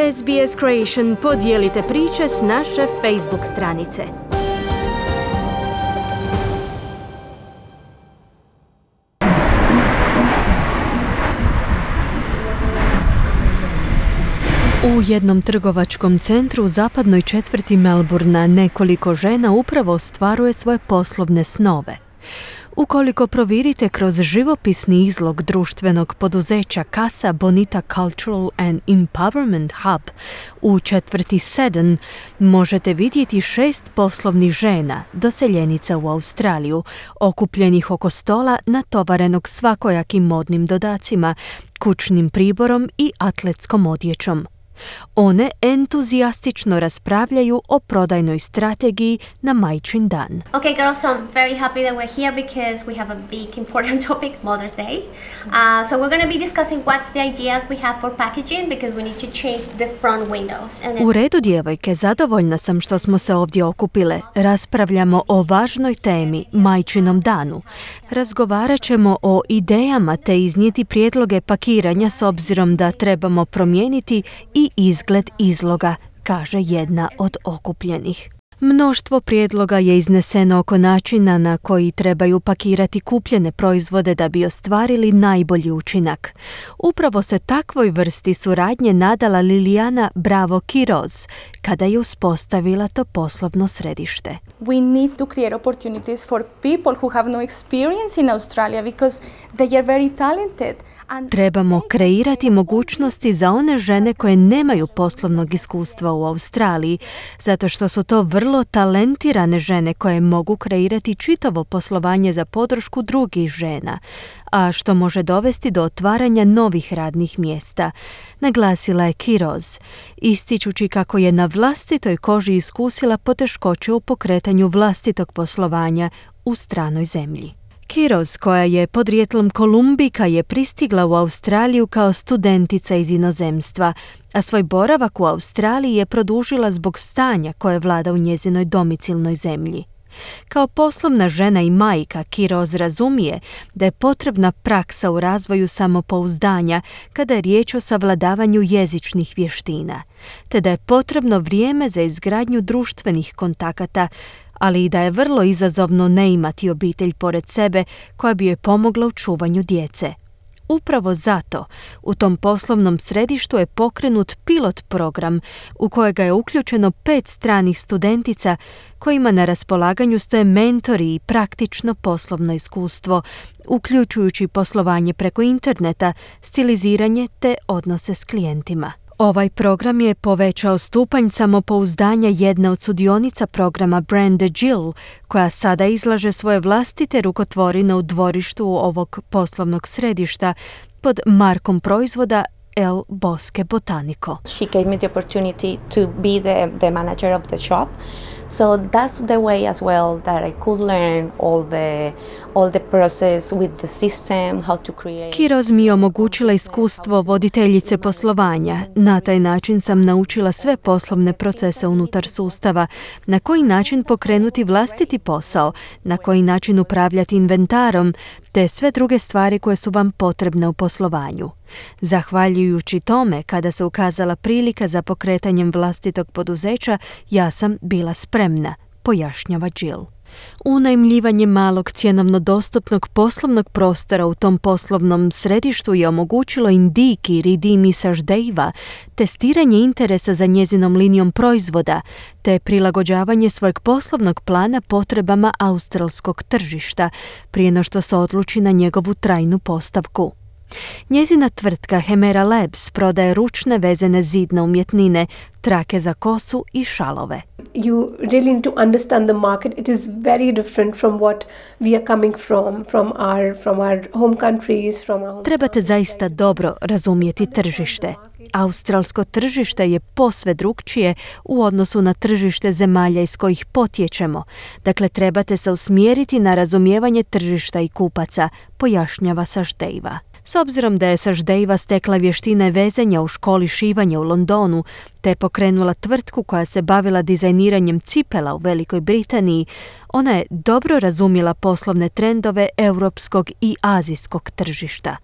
SBS Creation podijelite priče s naše Facebook stranice. U jednom trgovačkom centru u zapadnoj četvrti Melbournea nekoliko žena upravo ostvaruje svoje poslovne snove. Ukoliko provirite kroz živopisni izlog društvenog poduzeća Casa Bonita Cultural and Empowerment Hub u četvrti Seddon, možete vidjeti 6 poslovnih žena, doseljenica u Australiju, okupljenih oko stola natovarenog svakojakim modnim dodacima, kućnim priborom i atletskom odjećom. One entuzijastično raspravljaju o prodajnoj strategiji na Majčin dan. Okay, girls, so I'm very happy that we're here because we have a big important topic, Mother's Day. So we're going to be discussing what's the ideas we have for packaging because we need to change the front windows. U redu, djevojke, zadovoljna sam što smo se ovdje okupile. Raspravljamo o važnoj temi, Majčinom danu. Razgovarat ćemo o idejama te iznijeti prijedloge pakiranja s obzirom da trebamo promijeniti i izgled izloga, kaže jedna od okupljenih. Mnoštvo prijedloga je izneseno oko načina na koji trebaju pakirati kupljene proizvode da bi ostvarili najbolji učinak. Upravo se takvoj vrsti suradnje nadala Liliana Bravo Quiroz kada je uspostavila to poslovno središte. We need to create opportunities for people who have no experience in Australia because they are very talented. Trebamo kreirati mogućnosti za one žene koje nemaju poslovnog iskustva u Australiji, zato što su to vrlo talentirane žene koje mogu kreirati čitavo poslovanje za podršku drugih žena, a što može dovesti do otvaranja novih radnih mjesta, naglasila je Quiroz, ističući kako je na vlastitoj koži iskusila poteškoće u pokretanju vlastitog poslovanja u stranoj zemlji. Quiroz, koja je podrijetlom Kolumbika, je pristigla u Australiju kao studentica iz inozemstva, a svoj boravak u Australiji je produžila zbog stanja koje vlada u njezinoj domicilnoj zemlji. Kao poslovna žena i majka, Quiroz razumije da je potrebna praksa u razvoju samopouzdanja kada je riječ o savladavanju jezičnih vještina, te da je potrebno vrijeme za izgradnju društvenih kontakata, ali i da je vrlo izazovno ne imati obitelj pored sebe koja bi joj pomogla u čuvanju djece. Upravo zato u tom poslovnom središtu je pokrenut pilot program u kojega je uključeno 5 stranih studentica kojima na raspolaganju stoje mentori i praktično poslovno iskustvo, uključujući poslovanje preko interneta, stiliziranje te odnose s klijentima. Ovaj program je povećao stupanj samopouzdanja jedne od sudionica programa Brenda Gill, koja sada izlaže svoje vlastite rukotvorine u dvorištu ovog poslovnog središta pod markom proizvoda El Bosque Botanico. She gave me the opportunity to be the manager of the shop. So that's the way as well that I could learn all the process with the system, how to create. Quiroz mi je omogućila iskustvo voditeljice poslovanja. Na taj način sam naučila sve poslovne procese unutar sustava, na koji način pokrenuti vlastiti posao, na koji način upravljati inventarom, te sve druge stvari koje su vam potrebne u poslovanju. Zahvaljujući tome, kada se ukazala prilika za pokretanjem vlastitog poduzeća, ja sam bila spremna, pojašnjava Jill. Unajmljivanje malog cjenovno dostupnog poslovnog prostora u tom poslovnom središtu je omogućilo Indiki Ridimi Saždejva testiranje interesa za njezinom linijom proizvoda te prilagođavanje svojeg poslovnog plana potrebama australskog tržišta prije no što se odluči na njegovu trajnu postavku. Njezina tvrtka Hemera Labs prodaje ručne vezene zidne umjetnine, trake za kosu i šalove. You really need to understand the market. It is very different from what we are coming from our home countries, from our home. Trebate zaista dobro razumjeti tržište. Australsko tržište je posve drukčije u odnosu na tržište zemalja iz kojih potječemo. Dakle, trebate se usmjeriti na razumijevanje tržišta i kupaca, pojašnjava Saždejva. S obzirom da je Saždejva stekla vještine vezanja u školi šivanja u Londonu, te pokrenula tvrtku koja se bavila dizajniranjem cipela u Velikoj Britaniji, ona je dobro razumjela poslovne trendove europskog i azijskog tržišta.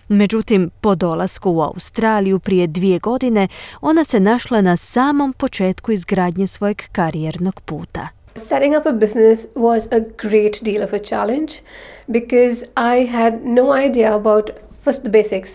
Međutim, po dolasku u Australiju prije 2 godine, ona se našla na samom početku izgradnje svojeg karijernog puta. Setting up a business was a great deal of a challenge because I had no idea about first the basics.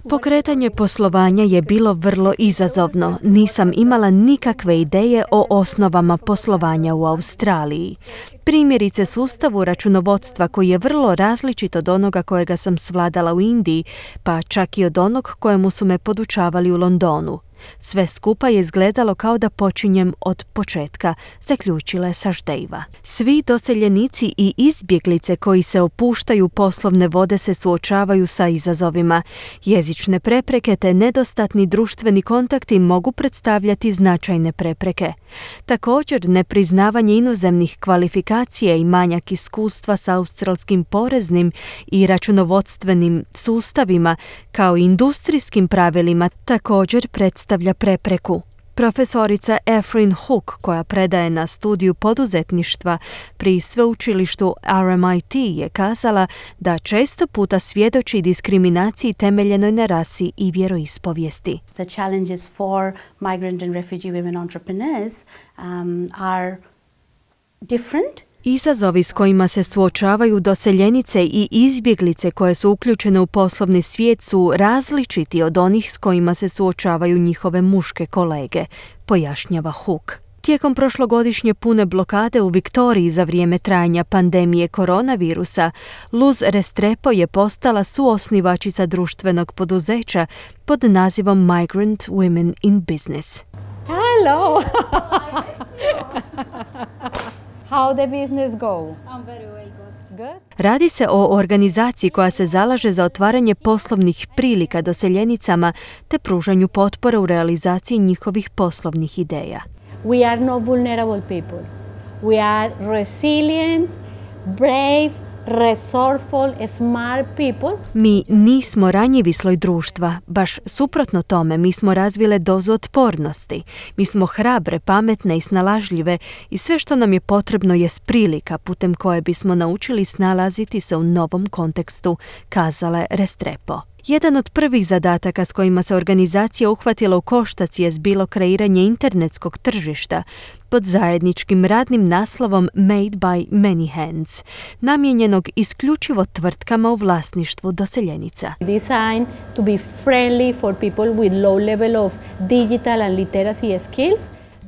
Pokretanje poslovanja je bilo vrlo izazovno. Nisam imala nikakve ideje o osnovama poslovanja u Australiji. Primjerice sustavu računovodstva koji je vrlo različit od onoga kojega sam svladala u Indiji, pa čak i od onog kojemu su me podučavali u Londonu. Sve skupa je izgledalo kao da počinjem od početka, zaključila je Saždejva. Svi doseljenici i izbjeglice koji se opuštaju poslovne vode se suočavaju sa izazovima. Jezične prepreke te nedostatni društveni kontakti mogu predstavljati značajne prepreke. Također, nepriznavanje inozemnih kvalifikacija i manjak iskustva sa australskim poreznim i računovodstvenim sustavima kao i industrijskim pravilima također predstavlja prepreku. Profesorica Efrin Hook, koja predaje na studiju poduzetništva pri sveučilištu RMIT, je kazala da često puta svjedoči diskriminaciji temeljenoj na rasi i vjeroispovijesti. The challenges for migrant and refugee women entrepreneurs are different. Izazovi s kojima se suočavaju doseljenice i izbjeglice koje su uključene u poslovni svijet su različiti od onih s kojima se suočavaju njihove muške kolege, pojašnjava Hook. Tijekom prošlogodišnje pune blokade u Viktoriji za vrijeme trajanja pandemije koronavirusa, Luz Restrepo je postala suosnivačica društvenog poduzeća pod nazivom Migrant Women in Business. Hello! How the business go? I'm very well, good. Radi se o organizaciji koja se zalaže za otvaranje poslovnih prilika doseljenicama te pružanju potpore u realizaciji njihovih poslovnih ideja. We are not vulnerable people. We are resilient, brave, resourceful, smart people. Mi nismo ranjivi sloj društva, baš suprotno tome, mi smo razvile dozu otpornosti. Mi smo hrabre, pametne i snalažljive i sve što nam je potrebno jest prilika putem koje bismo naučili snalaziti se u novom kontekstu, kazala je Restrepo. Jedan od prvih zadataka s kojima se organizacija uhvatila u koštac je bilo kreiranje internetskog tržišta pod zajedničkim radnim naslovom Made by Many Hands, namijenjenog isključivo tvrtkama u vlasništvu doseljenica. Designed to be friendly for people with low level of digital and literacy skills.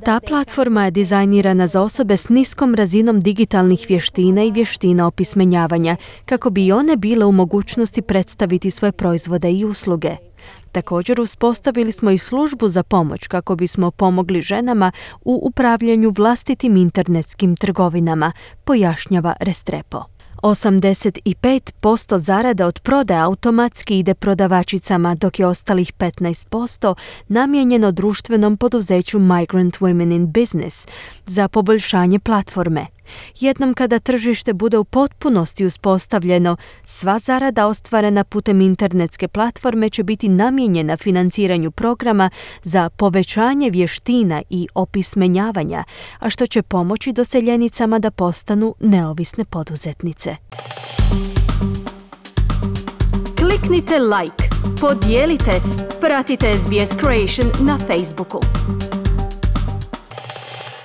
Ta platforma je dizajnirana za osobe s niskom razinom digitalnih vještina i vještina opismenjavanja, kako bi i one bile u mogućnosti predstaviti svoje proizvode i usluge. Također uspostavili smo i službu za pomoć kako bismo pomogli ženama u upravljanju vlastitim internetskim trgovinama, pojašnjava Restrepo. 85% zarada od prodaje automatski ide prodavačicama, dok je ostalih 15% namijenjeno društvenom poduzeću Migrant Women in Business za poboljšanje platforme. Jednom kada tržište bude u potpunosti uspostavljeno, sva zarada ostvarena putem internetske platforme će biti namijenjena financiranju programa za povećanje vještina i opismenjavanja, a što će pomoći doseljenicama da postanu neovisne poduzetnice. Kliknite like, podijelite, pratite SBS Creation na Facebooku.